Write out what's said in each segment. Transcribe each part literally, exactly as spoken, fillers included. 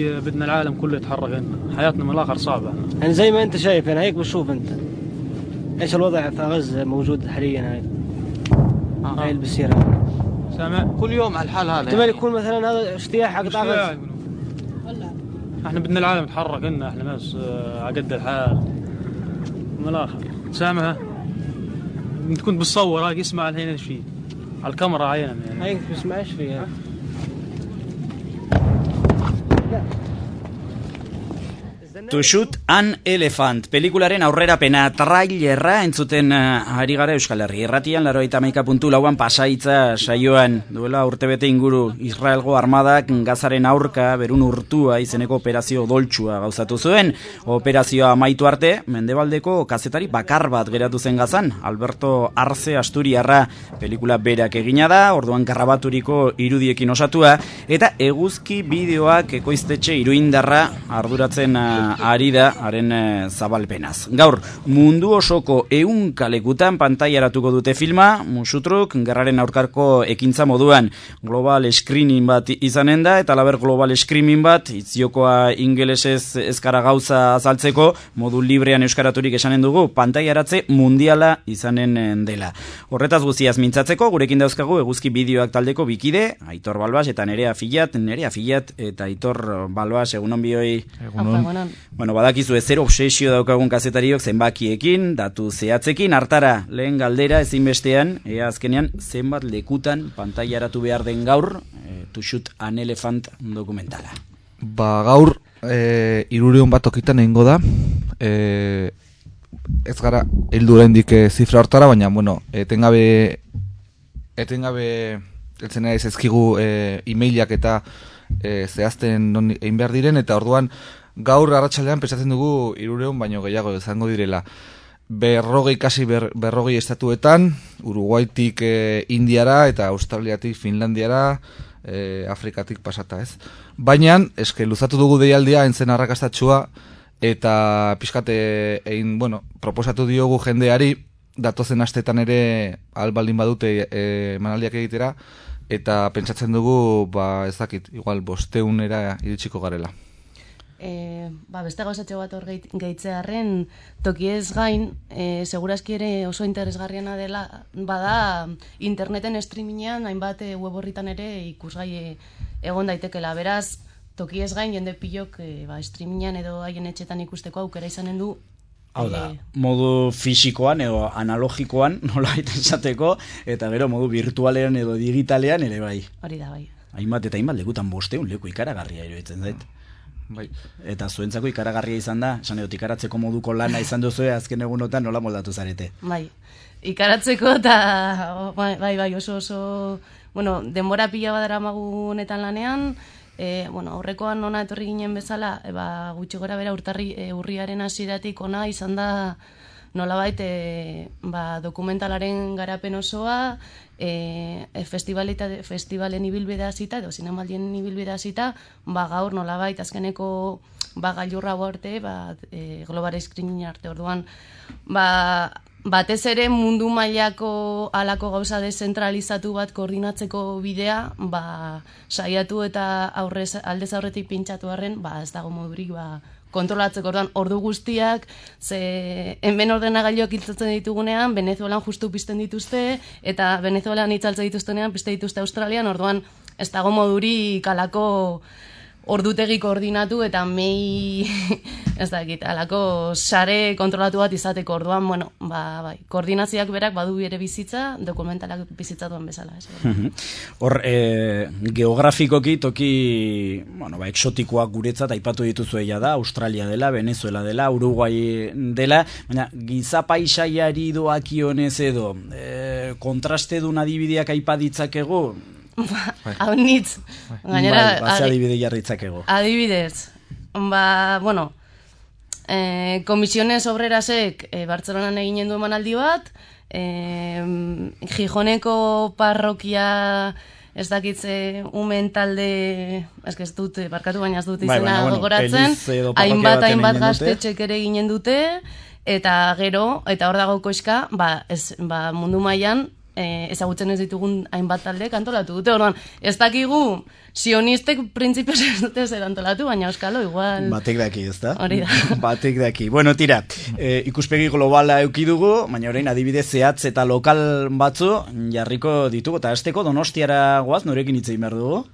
بدنا العالم كله يتحرك هنا حياتنا من الآخر صعبة يعني زي ما أنت شايف أنا هيك بشوف أنت إيش الوضع في غزة موجود حاليا هاي آه. هاي اللي بصير سامع كل يوم على الحال هذا احتمال يكون مثلا هذا اجتياح حق غزة احنا بدنا العالم يتحرك هنا احنا ناس على قد الحال من الآخر سامع انت كنت بتصور هاي اسمع الحين ايش فيه على الكاميرا عينا يعني هاي انت بتسمع ايش فيه To Shoot an Elephant, pelikularen aurrerapena trailerra entzuten uh, ari gara Euskal Herri irratian, laurogeita hamaika puntu lauan Pasahitza saioan duela urtebete inguru Israelgo armadak Gazaren aurka berun urtua izeneko operazio doltsua gauzatu zuen. Operazioa amaitu arte, mendebaldeko kazetari bakar bat geratu zen Gazan, Alberto Arze Asturiarra pelikula berak egina da, orduan grabaturiko irudiekin osatua, eta eguzki bideoak ekoiztetxe Iruindarra arduratzen uh, ari da, haren e, zabalpenaz. Gaur, mundu osoko ehunka lekutan pantailaratuko dute filma, Musutruk, gerraren aurkarko ekintza moduan global screening bat izanen da, eta laber global screening bat, itziokoa ingelesez ezkara gauza azaltzeko, modu librean euskaraturik esanen dugu, pantailaratze mundiala izanen dela. Horretaz guztiaz mintzatzeko, gurekin dauzkagu eguzki bideoak taldeko bikide, Aitor Balbas eta Nerea Filat, Nerea Filat eta Aitor Balbas, egunon bioi. Egunon. Bueno, badakizu ezer obsesio daukagun kazetariok zenbakiekin, datu zehatzekin, hartara lehen galdera ezinbestean, ea azkenean zenbat lekutan pantailaratu behar den gaur, e, To Shoot an Elephant dokumentala. Ba gaur, e, irureun bat okitan egingo da, e, ez gara heldu oraindik e, zifra hortara, baina, bueno, etengabe, etengabe, eltzen naiz ezkigu e, e-mailak eta e, zehazten non egin behar diren, eta orduan, gaur arratsaldean pentsatzen dugu irureun baino gehiago izango direla. Berrogei kasi ber, berrogei estatuetan, Uruguaitik e, Indiara eta Australiatik Finlandiara, e, Afrikatik pasata ez. Baina, eske luzatu dugu deialdia entzen arrakastatxua eta pixkate egin, bueno, proposatu diogu jendeari datozen astetan ere albaldin badute e, manaldiak egitera eta pentsatzen dugu, ba ez dakit, igual bosteunera iritsiko garela. E, ba, beste gauzatxo bat hor gehitzearen tokiez gain, e, segurazki ere oso interesgarriena dela, bada interneten streamingean, hainbat e, web horritan ere ikusgai egon daitekela. Beraz, tokiez gain jende pilok e, ba, streamingean edo haien etxetan ikusteko aukera izanen du. Hau da, e, modu fisikoan edo analogikoan, nola esateko, eta gero modu virtualean edo digitalean ere bai. Hori da, bai. Hainbat eta hainbat lekutan bosteun leku ikaragarria iruditzen zait. Bai. Eta zuentzako ikaragarria izan da, esan edot ikaratzeko moduko lana izan duzu azken egunotan nola moldatu zarete. Bai, ikaratzeko eta bai, bai, bai oso oso, bueno, denbora pila badara magunetan lanean, e, bueno, aurrekoan ona etorri ginen bezala, e, ba, gutxi gora bera urtarri, e, urriaren hasieratik ona izan da nolabait e, ba, dokumentalaren garapen osoa, e, festivalen ibilbidea zita, edo zinemaldien ibilbidea zita, ba, gaur nolabait azkeneko ba, gailurra arte, ba, e, global screening arte orduan, ba, batez ere mundu mailako halako gauza dezentralizatu bat koordinatzeko bidea, ba, saiatu eta aurrez, aldez aurretik pintxatu arren, ba, ez dago modurik, ba, kontrolatzeko orduan ordu guztiak, ze hemen ordenagailuak hiltzatzen ditugunean, Venezuelan justu pizten dituzte, eta Venezuelan itzaltzen dituztenean pizte dituzte Australian, orduan ez dago modurik alako ordutegi koordinatu eta mei ez dakit, alako sare kontrolatu bat izateko orduan, bueno, ba, bai, koordinazioak berak badu bere bizitza, dokumentalak bizitza duen bezala. Hor, e, geografikoki toki, bueno, ba, exotikoak guretzat aipatu dituzu egia da, Australia dela, Venezuela dela, Uruguai dela, baina giza paisaiari doakionez edo, e, kontraste dun adibideak aipaditzakegu, hau nitz. Gainera, bai, adibide jarritzakego. Adibidez, ba, bueno, eh, Komisiones Obrerasek eh, Bartzelonan eginen du emanaldi bat, eh, Gijoneko parrokia ez dakitze umen talde, ez ez dut, barkatu baina ez dut izena bai, bueno, gogoratzen, hainbat hainbat gaztetxek ere ginen dute, eta gero, eta hor dago koizka, ba, ez, ba, mundu mailan e, ezagutzen ez ditugun hainbat talde antolatu dute. Orduan, ez dakigu sionistek printzipioz ez dute zer antolatu, baina euskalo igual... Batek daki, ez da? Hori da. Batek daki. Bueno, tira, e, ikuspegi globala eukidugu, baina orain adibidez zehatz eta lokal batzu jarriko ditugu, eta azteko Donostiara goaz, norekin hitz egin behar dugu?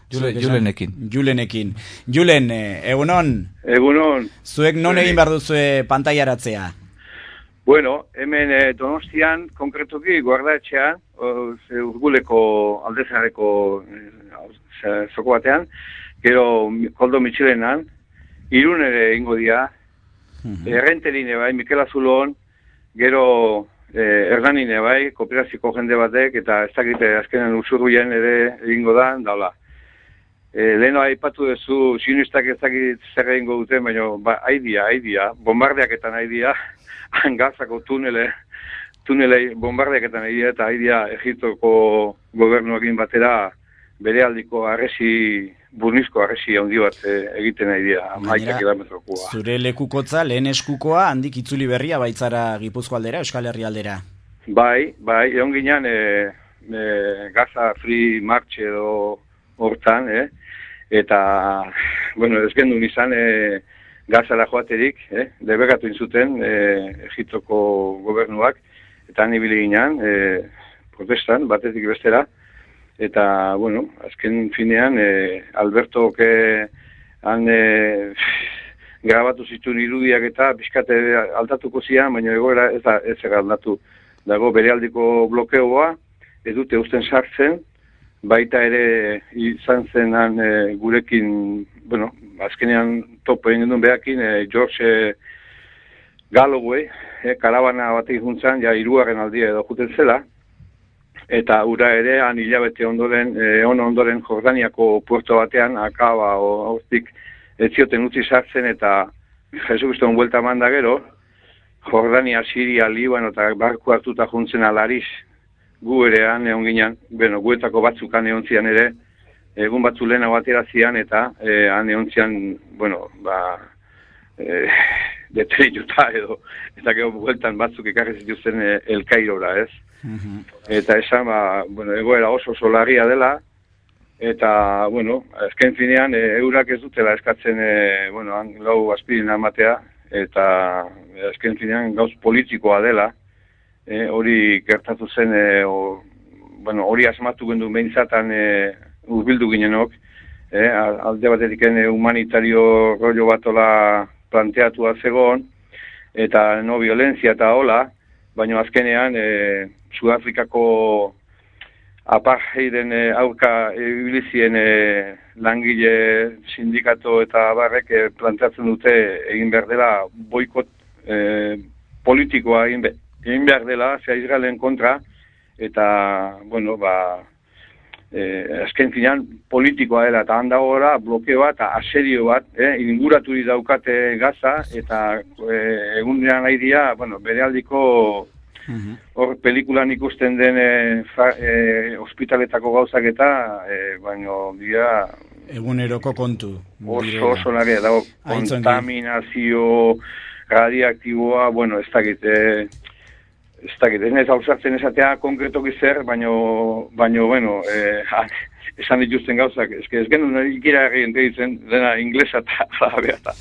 Jule, Julenekin. Julenekin. Julen, egunon? Egunon. Zuek non egin behar duzue pantaiaratzea? Bueno, hemen eh, Donostian, konkretuki, guardaetxean, urguleko aldezareko eh, zoko batean, gero Koldo Mitxilenan, Irun ere ingo dia, uh-huh. Errenterine bai, Mikel Azulon, gero eh, Hernanine bai, kooperaziko jende batek, eta ez dakite azkenen usurruien ere egingo da, daula. E, leheno aipatu duzu, sionistak ez dakit zer egingo duten, baina ba, haidia, haidia, bombardeaketan haidia, Gazako tunele, tunelei bombardeaketan haidia, eta haidia Egiptoko gobernuakin batera bere aldiko arresi, burnizko arresi handi bat e, egiten haidia, amaika kilometrokoa. Zure lekukotza, lehen eskukoa, handik itzuli berria baitzara Gipuzko aldera, Euskal Herri aldera? Bai, bai, egon ginean e, e, Gaza Free March edo hortan, eh? Eta, bueno, ez gendun izan e, Gazara joaterik, eh? Debekatu inzuten e, Egiptoko gobernuak, eta han ibili ginean, e, protestan, batetik bestera, eta, bueno, azken finean, e, Alberto ke han e, grabatu zituen irudiak eta pixkate aldatuko zian, baina egoera ez da ez aldatu. Dago berealdiko blokeoa, ez dute usten sartzen, baita ere izan zenan e, gurekin, bueno, azkenean topo egin duen behakin, e, George e, Galloway, e, karabana batek juntzan, ja hirugarren aldia edo juten zela, eta ura ere, han hilabete ondoren, e, on ondoren Jordaniako puerto batean, akaba o hortik ez zioten utzi sartzen, eta Jesukriston buelta manda gero, Jordania, Siria, Libano eta barku hartuta juntzen alariz, gu ere han egon ginen, bueno, guetako batzuk han egon zian ere, egun batzu lehena batera zian, eta eh, han egon zian, bueno, ba, eh, deterituta edo, eta gero bueltan batzuk ekarri zituzten eh, El Cairora, ez? Uh-huh. Eta esan, ba, bueno, egoera oso oso larria dela, eta, bueno, azken finean, e, eurak ez dutela eskatzen, e, bueno, han lau aspirina ematea, eta azken finean gauz politikoa dela, E, hori gertatu zen, e, o, bueno, hori asmatu gendu behintzatan e, urbildu ginenok, e, alde batetik e, humanitario rollo batola planteatua zegoen, eta no violentzia eta hola, baina azkenean e, Sudafrikako apartheiden e, aurka ibilizien e, langile sindikato eta barrek e, planteatzen dute egin behar dela boikot e, politikoa egin behar. Egin behar dela, zea Israelen kontra, eta, bueno, ba, eh, azken finean politikoa dela, eta handago gora, blokeo bat, eta aserio bat, eh, inguratu daukate Gaza, eta eh, egunean nahi dia, bueno, bere aldiko, hor pelikulan ikusten den eh, fa, eh, ospitaletako gauzak eta, eh, baino, dira... Eguneroko kontu. Oso, oso naria, dago, kontaminazio, radioaktiboa, bueno, ez dakit, eh, ez dakit, ez nez hausartzen esatea konkretoki zer, baino, baino, bueno, eh, esan dituzten gauzak, ez ez genuen ikira egin ditzen dena inglesa eta arabea eta.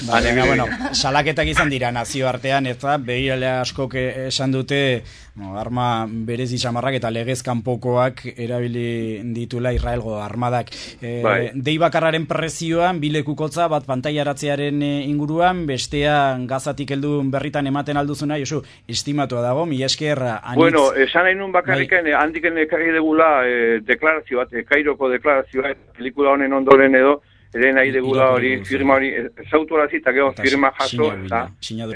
Baina, bueno, salaketak izan dira nazioartean, ez da, behirale askok esan dute, no, arma berezi samarrak eta legez kanpokoak erabili ditula Israelgo armadak. E, bai. Dei bakarraren prezioan, bilekukotza bat pantaiaratzearen inguruan, bestea Gazatik heldu berritan ematen alduzuna, Josu, estimatua dago, mila esker anitz... Bueno, esan nahi nun bakarriken, bai. Handiken ekarri degula eh, deklarazio bat, eh, Kairoko deklarazioa, pelikula honen ondoren edo, ere nahi degula hori, firma hori, zautu horazi eta gero firma jaso, eta,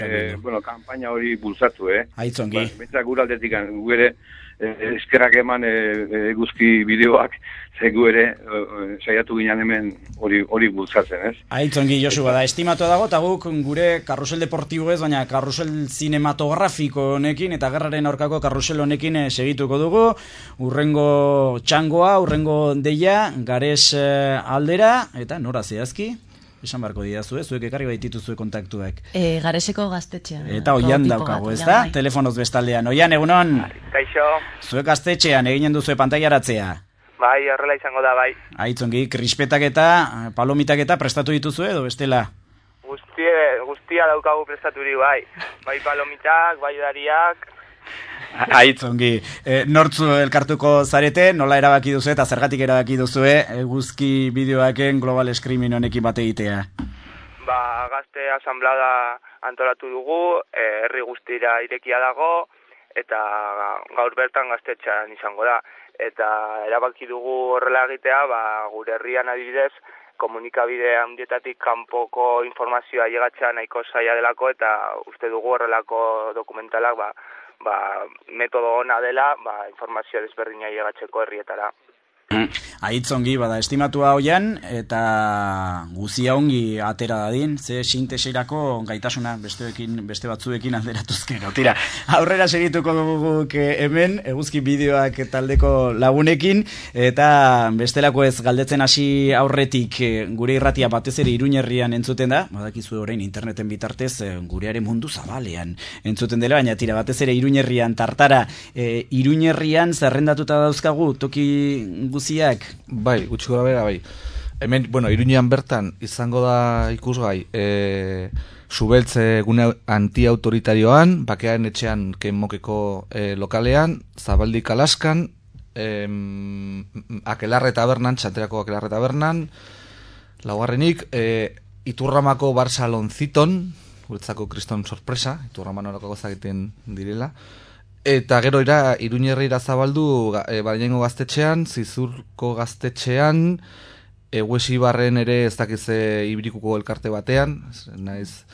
eh, bueno, kampaina hori bultzatu, eh? Aitzongi. Ba, Bentzak gure aldetik, gu ere, eh, eskerrak eman eh, eguzki bideoak, ze gu ere, eh, saiatu ginen hemen hori hori bultzatzen, ez? Aitzongi, Josu, bada, estimatu dago, eta guk gure karrusel deportibo ez, baina karrusel cinematografiko honekin, eta gerraren aurkako karrusel honekin eh, segituko dugu, urrengo txangoa, urrengo deia, gares eh, aldera, eta nora zehazki? esan barko didazue, zuek ekarri baitituzue kontaktuak. E, Gareseko gaztetxean. Eta oian daukago, ez da? Telefonoz bestaldean. Oian, egunon? Kaixo. Zuek gaztetxean eginen duzue pantailaratzea. Bai, horrela izango da, bai. Aitzongi, krispetak eta palomitak eta prestatu dituzue edo bestela? Guztie, guztia daukagu prestaturi, bai. Bai palomitak, bai dariak. Aitzongi, e, nortzu elkartuko zarete, nola erabaki duzu eta zergatik erabaki duzue eguzki bideoaken global screening honekin bate egitea? Ba, gazte asamblada antolatu dugu, eh, herri guztira irekia dago, eta gaur bertan gaztetxean izango da. Eta erabaki dugu horrela egitea, ba, gure herrian adibidez, komunikabide handietatik kanpoko informazioa llegatzea nahiko zaila delako, eta uste dugu horrelako dokumentalak, ba, ba, metodo ona dela, ba, informazio desberdina llegatzeko herrietara. Aitzongi, bada, estimatua hoian, eta guzia ongi atera dadin, ze sinteseirako gaitasuna besteekin, beste batzuekin alderatuzkero. Tira, aurrera segituko guk hemen, eguzki bideoak taldeko lagunekin, eta bestelako ez galdetzen hasi aurretik gure irratia batez ere Iruñerrian entzuten da, badakizu orain interneten bitartez gurearen mundu zabalean entzuten dela, baina tira, batez ere Iruñerrian tartara, e, Iruñerrian zerrendatuta dauzkagu, toki guziak? Bai, gutxi gora bera, bai. Hemen, bueno, Iruñean bertan izango da ikusgai, e, Subeltze gune antiautoritarioan, Bakearen etxean Kenmokeko e, lokalean, Zabaldi Kalaskan, e, Akelarre tabernan, Txanterako Akelarre tabernan, laugarrenik, e, Iturramako Bar Salonciton, guretzako kriston sorpresa, Iturraman horako gozak egiten direla, eta gero ira, Iruñerrira zabaldu e, Baraingo gaztetxean, Zizurko gaztetxean, Eguesibarren ere ez dakize Ibrikuko elkarte batean, naiz,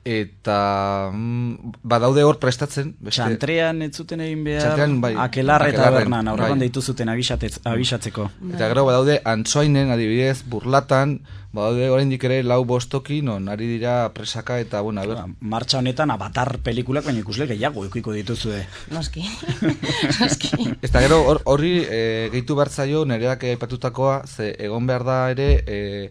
eta mm, badaude hor prestatzen. Beste... Txantrean ez zuten egin behar, Txantrean, bai, Akelarre eta Bernan, aurrean bai. deitu zuten abisatzeko. Eta gero badaude Antsoainen, adibidez, Burlatan, badaude oraindik ere lau bostoki, non ari dira presaka eta, bueno, a ber... Martxa honetan Avatar pelikulak, baina ikusle gehiago eukiko dituzue. Noski, noski. Eta gero horri e, gehitu behar zaio nereak aipatutakoa, ze egon behar da ere e,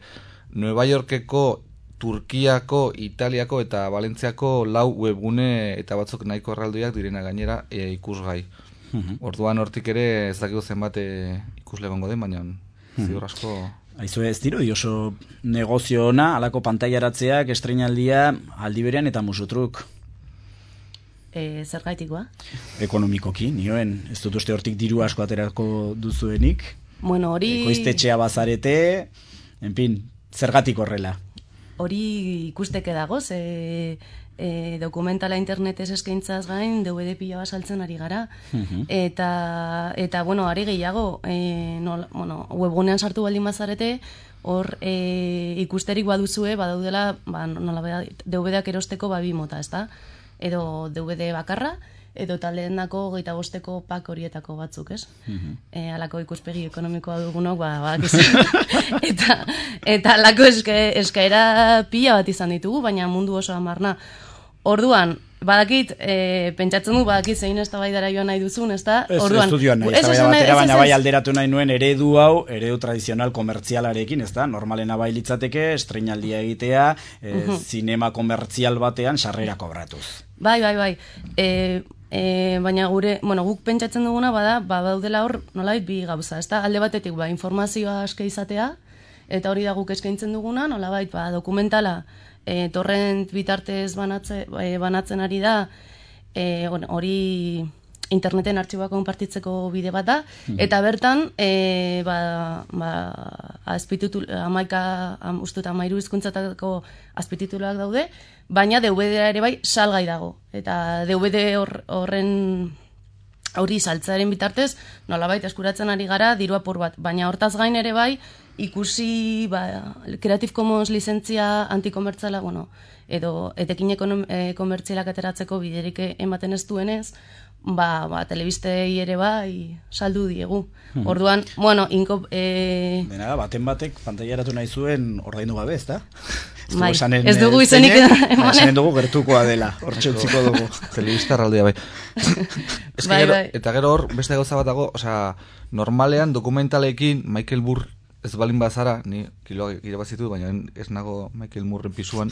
Nueva Yorkeko, Turkiako, Italiako eta Valentziako lau webgune eta batzuk nahiko erraldoiak direna gainera e, ikusgai. Uh-huh. Orduan hortik ere ez dakigu zenbat e, ikusle egongo den, baina uh-huh. ziur asko... Aizu ez diro, oso negozio ona, alako pantailaratzeak, estreinaldia, aldi berean eta musutruk. E, zer gaitikoa? Ekonomikoki, nioen, ez dut uste hortik diru asko aterako duzuenik. Bueno, hori... Ekoiztetxea bazarete, en fin, zergatik horrela. Hori ikusteke dago, ze e, dokumentala internetez eskaintzaz gain, D V D pila saltzen ari gara. Uh-huh. Eta, eta, bueno, ari gehiago, e, no, bueno, webgunean sartu baldin bazarete, hor e, ikusterik baduzue, badaudela, ba, nola, D V D-ak erosteko babi mota, ezta? Edo D V D bakarra, edo taldeendako geita bosteko pak horietako batzuk, ez? Uh-huh. E, alako ikuspegi ekonomikoa dugunok, ba, ba eta, eta alako eske, eskaera pila bat izan ditugu, baina mundu oso amarna. Orduan, badakit, e, pentsatzen du, badakit zein eztabaidara joan nahi duzun, ez da? Ez, ez du joan nahi, eztabaida batera, baina bai alderatu nahi nuen eredu hau, eredu tradizional komertzialarekin, ez da? Normalena bai litzateke, estreinaldia egitea, e, uh-huh. zinema komertzial batean sarrera kobratuz. Bai, bai, bai. E, e, baina gure, bueno, guk pentsatzen duguna bada, ba, daudela hor, nolabait bi gauza, ez da? Alde batetik, ba, informazioa aske izatea, eta hori da guk eskaintzen duguna, nolabait, ba, dokumentala, E, torrent bitartez banatze, e, banatzen ari da, e, bueno, hori interneten artxiboak konpartitzeko bide bat da, mm-hmm. eta bertan, e, ba, ba, azpititul, amaika, am, ustut, amairu hizkuntzatako azpitituluak daude, baina D V D ere bai salgai dago. Eta D V D hor, horren hori saltzearen bitartez, nolabait eskuratzen ari gara diru apur bat, baina hortaz gain ere bai, ikusi ba, Creative Commons lizentzia antikomertziala, bueno, edo etekin ekonom, e, komertzialak ateratzeko biderik ematen ez duenez, ba, ba, telebistei ere bai saldu diegu. Hmm. Orduan, bueno, inko... E... Dena da, baten batek pantailaratu nahi zuen ordaindu gabe, ez da? Bai, ez dugu izenik emanen. Esanen dugu gertukoa dela, hortxe utziko dugu. Telebista erraldia, bai. bai, gero, bai. Eta gero hor, beste gauza bat dago, osea, normalean dokumentalekin Michael Burr ez balin bazara, ni kiloak irabazitu, baina ez nago Michael Moorren pisuan,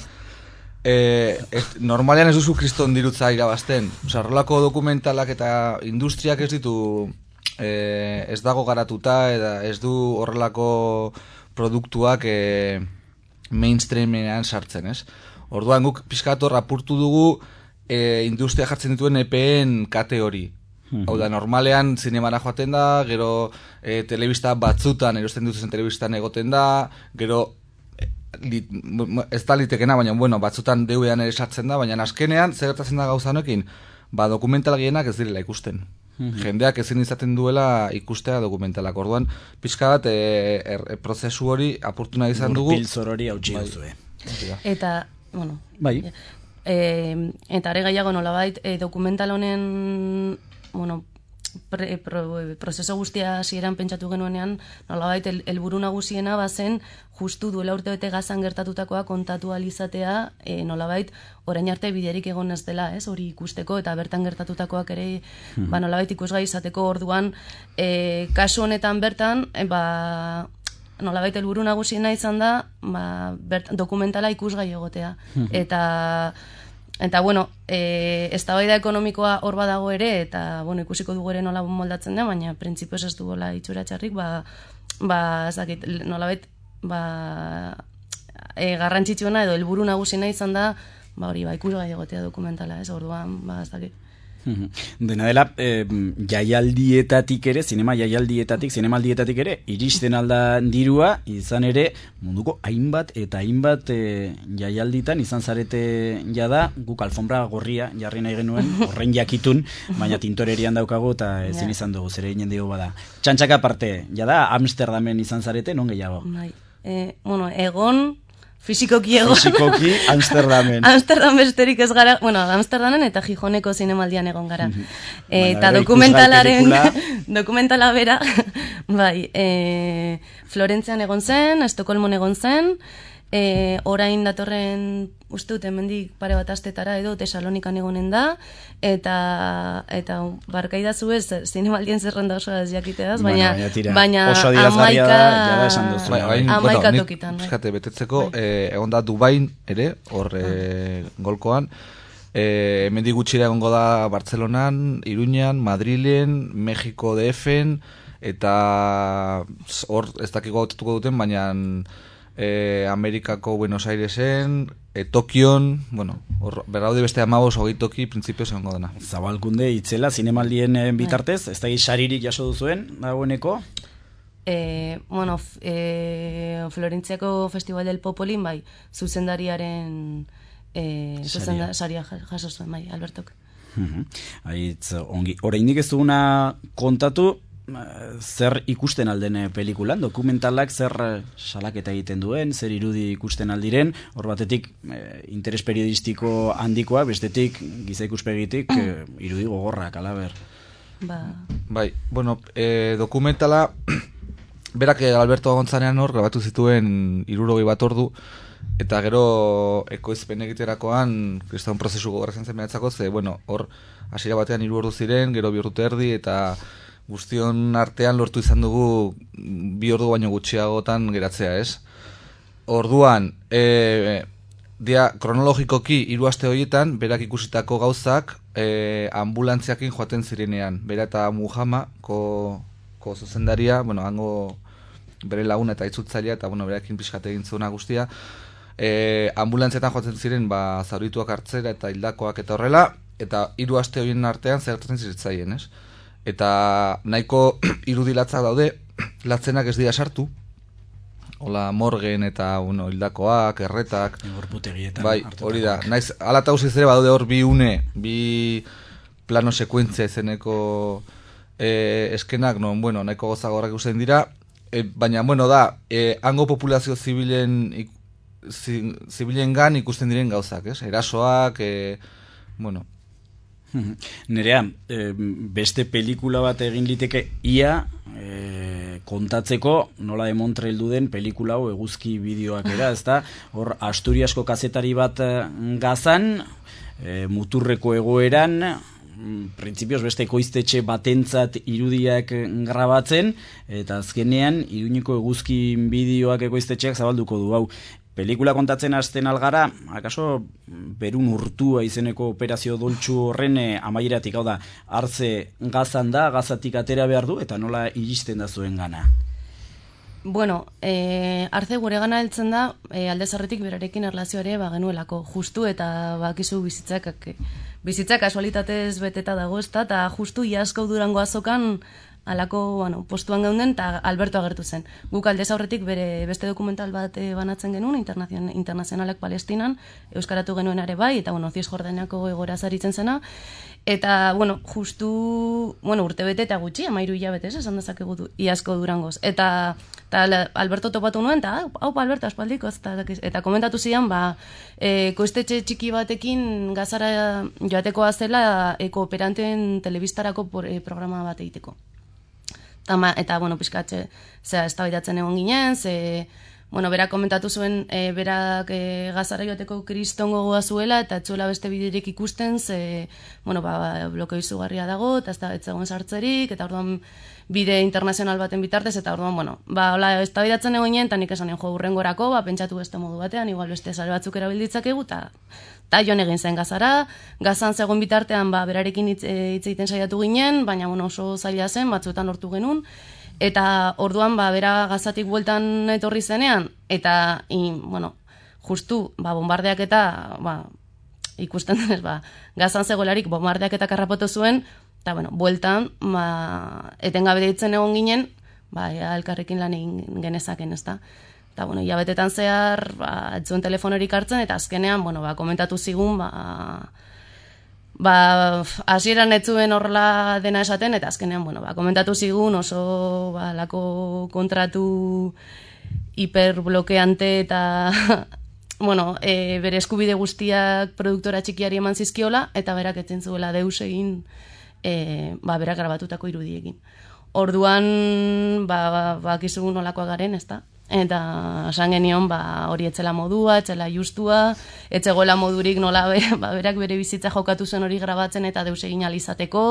e, ez, normalean ez duzu kriston dirutza irabazten. Osa, horrelako dokumentalak eta industriak ez ditu, e, ez dago garatuta, eta ez du horrelako produktuak e, mainstreamean sartzen, ez? Orduan guk pizkator apurtu dugu e, industria jartzen dituen E P en kate hori. Hau da, normalean zinemara joaten da, gero e, telebista batzutan, erosten dutzen telebistan egoten da, gero e, li, ez da litekena, baina bueno, batzutan D V D-an ere sartzen da, baina azkenean zer gertatzen da gauza honekin, ba dokumental gehienak ez direla ikusten. Jendeak ezin izaten duela ikustea dokumentalak. Orduan, pixka bat e, er, e, prozesu hori apurtu nahi izan dugu. Gurpiltzor hori hautsi duzue. Eta, bueno, bai. E, eta are gaiago nolabait, e, dokumental honen, bueno, pre, pro, prozeso guztia hasieran pentsatu genuenean, nolabait el, helburu nagusiena bazen justu duela urte bete Gazan gertatutakoa kontatu alizatea, e, nolabait orain arte biderik egon ez dela, ez, hori ikusteko eta bertan gertatutakoak ere, hmm. ba, nolabait ikusgai izateko orduan, e, kasu honetan bertan, e, ba, nolabait helburu nagusiena izan da, ba, bert, dokumentala ikusgai egotea. Hmm. Eta Eta, bueno, e, eztabaida ekonomikoa hor badago ere, eta, bueno, ikusiko dugu ere nola moldatzen da, baina printzipioz ez duela itxura txarrik, ba, ba, ezakit, nolabait, ba, e, garrantzitsuena edo helburu nagusina izan da, ba, hori, ba, ikusgai egotea dokumentala, ez, orduan, ba, ezakit. Dena dela, eh, jaialdietatik ere, zinema jaialdietatik, zinemaldietatik ere, iristen alda dirua, izan ere, munduko hainbat eta hainbat eh, jaialditan izan zarete jada, guk alfombra gorria jarri nahi genuen, horren jakitun, baina tintorerian daukagu eta ezin izan dugu, zere ginen dugu bada. Txantxaka aparte, jada, Amsterdamen izan zarete, non gehiago? Bai, e, bueno, egon... Fisikoki egon. Fisikoki Amsterdamen. Amsterdam besterik ez gara, bueno, Amsterdamen eta Gijoneko zinemaldian egon gara. Mm-hmm. E, eta dokumentalaren, dokumentala bera, bai, e, Florentzian egon zen, Estokolmon egon zen, e, orain datorren, uste dut, hemendik pare bat astetara edo Tesalonikan egonen da, eta eta barkaidazu ez, zinemaldien zerrenda oso ez jakiteaz, baina, bueno, baina oso adirazgarria da, jada esan duzu. Bai, bai, amaika bueno, tokitan. Bai. Eskate, betetzeko, bai. eh, egon da Dubain ere, hor eh, golkoan, eh, hemendik gutxira egongo da Bartzelonan, Iruñan, Madrilen, Mexiko D F-en, eta hor ez dakiko hautatuko duten, baina eh, Amerikako Buenos Airesen, e, Tokion, bueno, hor, berraude beste amabos hogei toki printzipioz egongo dena. Zabalkunde, itzela, zinemaldien bitartez, ez da saririk jaso duzuen, dagoeneko? E, bueno, e, Florentziako Festival del Popolin, bai, zuzendariaren e, zuzenda, saria jaso zuen, bai, Albertok. Uh-huh. Aitz, ongi, oraindik ez duguna kontatu, zer ikusten alden pelikulan, dokumentalak zer salaketa egiten duen, zer irudi ikusten aldiren, hor batetik eh, interes periodistiko handikoa, bestetik giza ikuspegitik eh, irudi gogorrak, alaber. Ba. Bai, bueno, eh, dokumentala berak Alberto Gonzanean hor grabatu zituen hirurogei bat ordu, eta gero ekoizpen egiterakoan kriston prozesu gogorra zen mehatzako, ze, bueno, hor hasiera batean hiru ordu ziren, gero bi urte erdi, eta guztion artean lortu izan dugu bi ordu baino gutxiagotan geratzea, ez? Orduan, e, dia, kronologikoki hiru aste horietan, berak ikusitako gauzak e, ambulantziakin joaten zirenean. Bera eta Muhammad, ko, ko zuzendaria, bueno, hango bere laguna eta itzultzailea, eta bueno, berakin pixkate egin zuena guztia, e, ambulantzietan joaten ziren, ba, zaurituak hartzera eta hildakoak eta horrela, eta hiru aste horien artean zertatzen ziretzaien, ez? Eta nahiko irudilatzak daude, latzenak ez dira sartu, hola morgen eta bueno, hildakoak, erretak, bai, hori da, naiz, ala eta guziz ere badaude hor bi une, bi plano sekuentzia izeneko eh, eskenak, non, bueno, nahiko gozagorrak ikusten dira, eh, baina, bueno, da, eh, hango populazio zibilen, ik, zi, zibilen gan ikusten diren gauzak, ez? Erasoak, eh, bueno, Nerea, e, beste pelikula bat egin liteke ia e, kontatzeko nola de Montreal den pelikula hau eguzki bideoak era, ezta? Hor Asturiasko kazetari bat Gazan, e, muturreko egoeran, printzipioz beste ekoiztetxe batentzat irudiak grabatzen, eta azkenean Iruñeko eguzkin bideoak ekoiztetxeak zabalduko du hau. Pelikula kontatzen hasten algara, akaso Berun urtua izeneko operazio doltsu horren amaieratik, hau da, hartze gazan da, gazatik atera behar du, eta nola iristen da zuen gana? Bueno, e, arze gure gana heltzen da, e, alde zarretik berarekin erlazioare ba, genuelako justu eta bakizu bizitzak, bizitzak kasualitatez beteta dago ezta, eta justu iasko Durango azokan alako bueno, postuan geunden eta Alberto agertu zen. Guk alde zaurretik bere beste dokumental bat e, banatzen genuen, internazion, internazionalak Palestinan, euskaratu genuen are bai, eta bueno, Cisjordaniako egoera zaritzen zena, eta, bueno, justu, bueno, urte bete eta gutxi, amairu hilabete, esan dezakegu iasko Durangoz. Eta, eta Alberto topatu nuen, eta, hau, Alberto, aspaldiko, eta, eta komentatu zidan, ba, e, koiztetxe txiki batekin gazara joatekoa zela e, kooperanteen telebistarako por, e, programa bat egiteko. Eta, eta bueno, pizkatxe, zera, eztabaidatzen egon ginen, ze, bueno, berak komentatu zuen, e, berak e, gazara joateko kriston gogoa zuela, eta etzuela beste biderik ikusten, ze, bueno, ba, blokeo izugarria dago, eta ez da, etzegoen sartzerik, eta orduan bide internazional baten bitartez, eta orduan, bueno, ba, hola, eztabaidatzen egon ginen, eta nik esan jo hurrengorako, ba, pentsatu beste modu batean, igual beste sare batzuk erabilditzakegu, eta eta joan egin zen gazara, gazan zegoen bitartean, ba, berarekin hitz egiten saiatu ginen, baina, bueno, oso zaila zen, batzuetan lortu genuen, eta orduan, ba, bera gazatik bueltan etorri zenean, eta, in, bueno, justu, ba, bombardeak eta, ba, ikusten denez, ba, gazan zegoelarik bombardeak eta karrapotu zuen, eta, bueno, bueltan, ba, etengabe deitzen egon ginen, ba, elkarrekin lan egin genezaken, ez da. Eta, bueno, hilabetetan zehar, ba, etzuen telefonorik hartzen, eta azkenean, bueno, ba, komentatu zigun, ba, ba, hasieran etzuen horrela dena esaten, eta azkenean, bueno, ba, komentatu zigun oso, ba, lako kontratu hiperblokeante eta, bueno, e, bere eskubide guztiak produktora txikiari eman zizkiola, eta berak etzen zuela deus egin, e, ba, berak grabatutako irudiekin. Orduan, ba, ba, ba, kizugun nolakoa garen, ez da? Eta esan genion, ba, hori etzela modua, etzela justua, etzegoela modurik nola be, ba, berak bere bizitza jokatu zen hori grabatzen eta deus egin alizateko.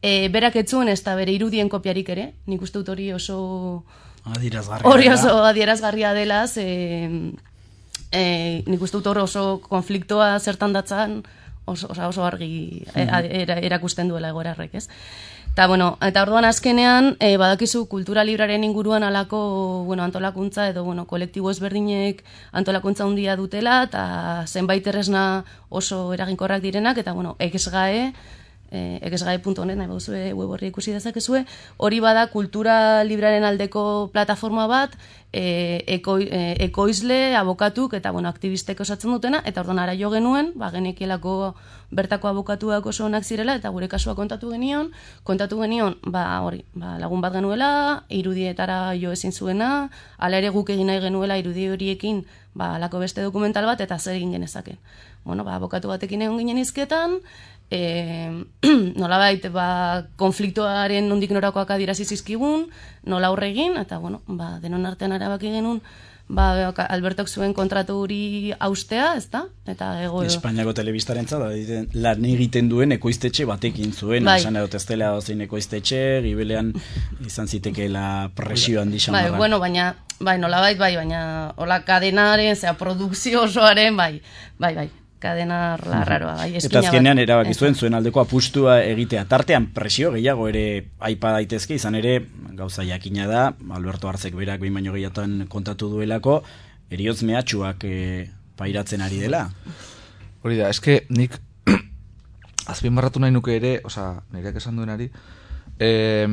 E, berak etzuen ez da bere irudien kopiarik ere, nik uste dut hori oso adierazgarria hori oso adierazgarria dela, ze, e, nik uste dut hori oso konfliktoa zertan datzan oso, oso argi mm-hmm. erakusten duela egoerarrek, ez? Eta, bueno, eta orduan azkenean, e, badakizu kultura libraren inguruan alako, bueno, antolakuntza edo, bueno, kolektibo ezberdinek antolakuntza handia dutela, eta zenbait erresna oso eraginkorrak direnak, eta, bueno, exgae, e, exgae puntu net, nahi bauzue web horri ikusi dezakezue, hori bada kultura libraren aldeko plataforma bat, e, eko, e, ekoizle, abokatuk, eta, bueno, aktivistek osatzen dutena, eta orduan ara jo genuen, ba, genekielako bertako abokatuak oso onak zirela, eta gure kasua kontatu genion, kontatu genion, ba, hori, ba, lagun bat genuela, irudietara jo ezin zuena, ala ere guk egin nahi genuela irudi horiekin, ba, alako beste dokumental bat, eta zer egin genezaken. Bueno, ba, abokatu batekin egon ginen izketan, e, nolabait, ba, konfliktoaren nondik norakoak adierazi zizkigun, nola aurre egin, eta, bueno, ba, denon artean erabaki genuen, ba, Albertok zuen kontratu hori austea, ez da? Eta ego... Espainiako telebistaren zara, lan egiten duen ekoiztetxe batekin zuen, bai. Esan edot ez dela zein ekoiztetxe, gibelean izan zitekeela presio handi xamarra. Bai, bueno, baina, bai, nolabait, bai, baina, hola, kadenaren, zera, produkzio osoaren, bai, bai, bai. Kadena larraroa, bai, eta azkenean erabaki zuen zuen aldeko apustua egitea. Tartean presio gehiago ere aipa daitezke, izan ere gauza jakina da, Alberto Artzek berak behin baino gehiatan kontatu duelako, eriotz mehatxuak e, pairatzen ari dela. Hori da, eske nik azpimarratu nahi nuke ere, oza, nireak esan duenari, eh,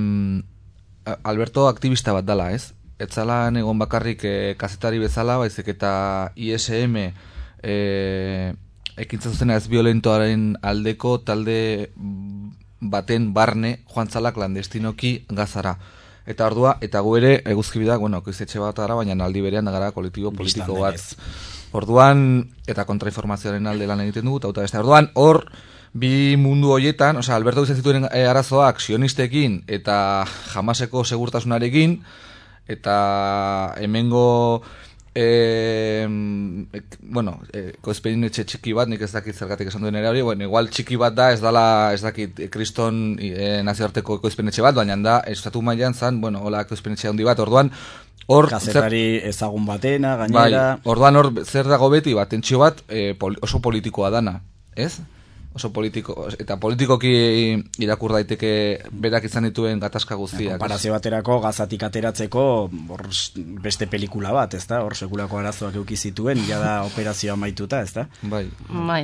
Alberto aktivista bat dala, ez? Etzala egon bakarrik e, kazetari bezala, baizik eta I S M eh, ekintza zuzena ez violentoaren aldeko talde baten barne joan zala klandestinoki gazara. Eta ordua, eta gu ere eguzkibidak, bueno, koizetxe bat gara, baina aldi berean da gara kolektibo politiko bat. Orduan, eta kontrainformazioaren alde lan egiten dugu, eta beste. Orduan, hor, bi mundu horietan, osea, Alberto izan zituen arazoak sionistekin eta Hamaseko segurtasunarekin, eta hemengo E, bueno, e, ekoizpenetxe txiki bat, nik ez dakit zergatik esan duen ere hori, bueno, igual txiki bat da, ez dala, ez dakit, kriston e, nazioarteko ekoizpenetxe bat, baina da, estatu mailan zan, bueno, hola ekoizpenetxe handi bat, orduan, hor... Kazetari ezagun batena, gainera... Bai, orduan hor, zer dago beti, bat, tentsio bat, e, poli, oso politikoa dana, ez? Oso politiko, eta politikoki irakur daiteke berak izan dituen gatazka guztiak. Konparazio baterako gazatik ateratzeko hor beste pelikula bat, ezta? Hor sekulako arazoak eduki zituen, ja da operazioa maituta, ezta? Bai. Bai.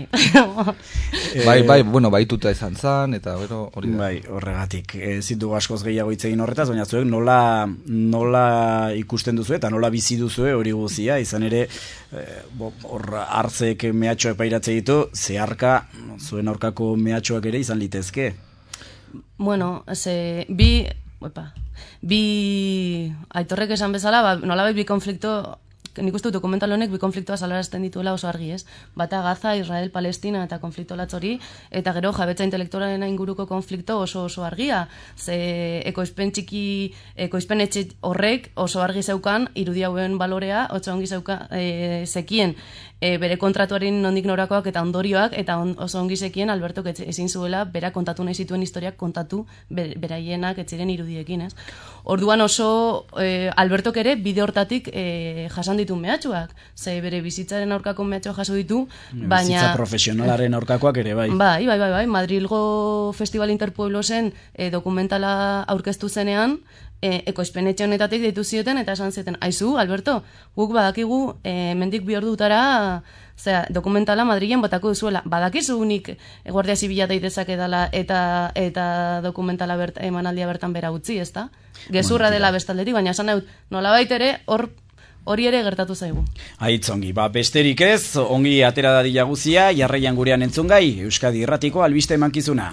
bai, bai, bueno, baituta izan zan, eta gero hori da. Bai, horregatik. Ez ditugu askoz gehiago hitz egin horretaz, baina zuek nola, nola ikusten duzu eta nola bizi duzu hori guzia, izan ere, hor eh, hartzek mehatxoa epairatze ditu, zeharka, zuen aurkako mehatxoak ere izan litezke. Bueno, ze, bi, opa, bi Aitorrek esan bezala, ba, nolabait bi konflikto, nik uste dokumental honek bi konfliktoa salarazten dituela oso argi, ez? Bata Gaza, Israel, Palestina eta konflikto latzori, eta gero jabetza intelektualaren inguruko konflikto oso oso argia. Ze ekoizpen txiki, ekoizpen etxe horrek oso argi zeukan, irudi hauen balorea, oso ongi zeuka, e, zekien, e, bere kontratuaren nondik norakoak eta ondorioak, eta on, oso ongi zekien Albertok ezin zuela bera kontatu nahi zituen historiak kontatu ber, beraienak etziren irudiekin, ez? Orduan oso e, Albertok ere bide hortatik e, jasan ditu mehatxuak, ze bere bizitzaren aurkako mehatxua jaso ditu, baina... Bizitza profesionalaren aurkakoak ere, bai. Bai, bai, bai, bai. Madrilgo Festival Interpueblosen e, dokumentala aurkeztu zenean, e, ekoizpenetxe honetatik deitu zioten, eta esan zioten, aizu, Alberto, guk badakigu e, mendik bi ordutara, zera, dokumentala Madrilen botako duzuela. Badakizu nik Guardia Zibila daitezak edala eta eta dokumentala bert, emanaldia bertan bera utzi, ezta? Gezurra dela bestaldetik, baina esan dut, nolabait ere, hor hori ere gertatu zaigu. Aitz ongi, ba, besterik ez, ongi atera dadila guzia, jarraian gurean entzungai, Euskadi Irratiko albiste emankizuna.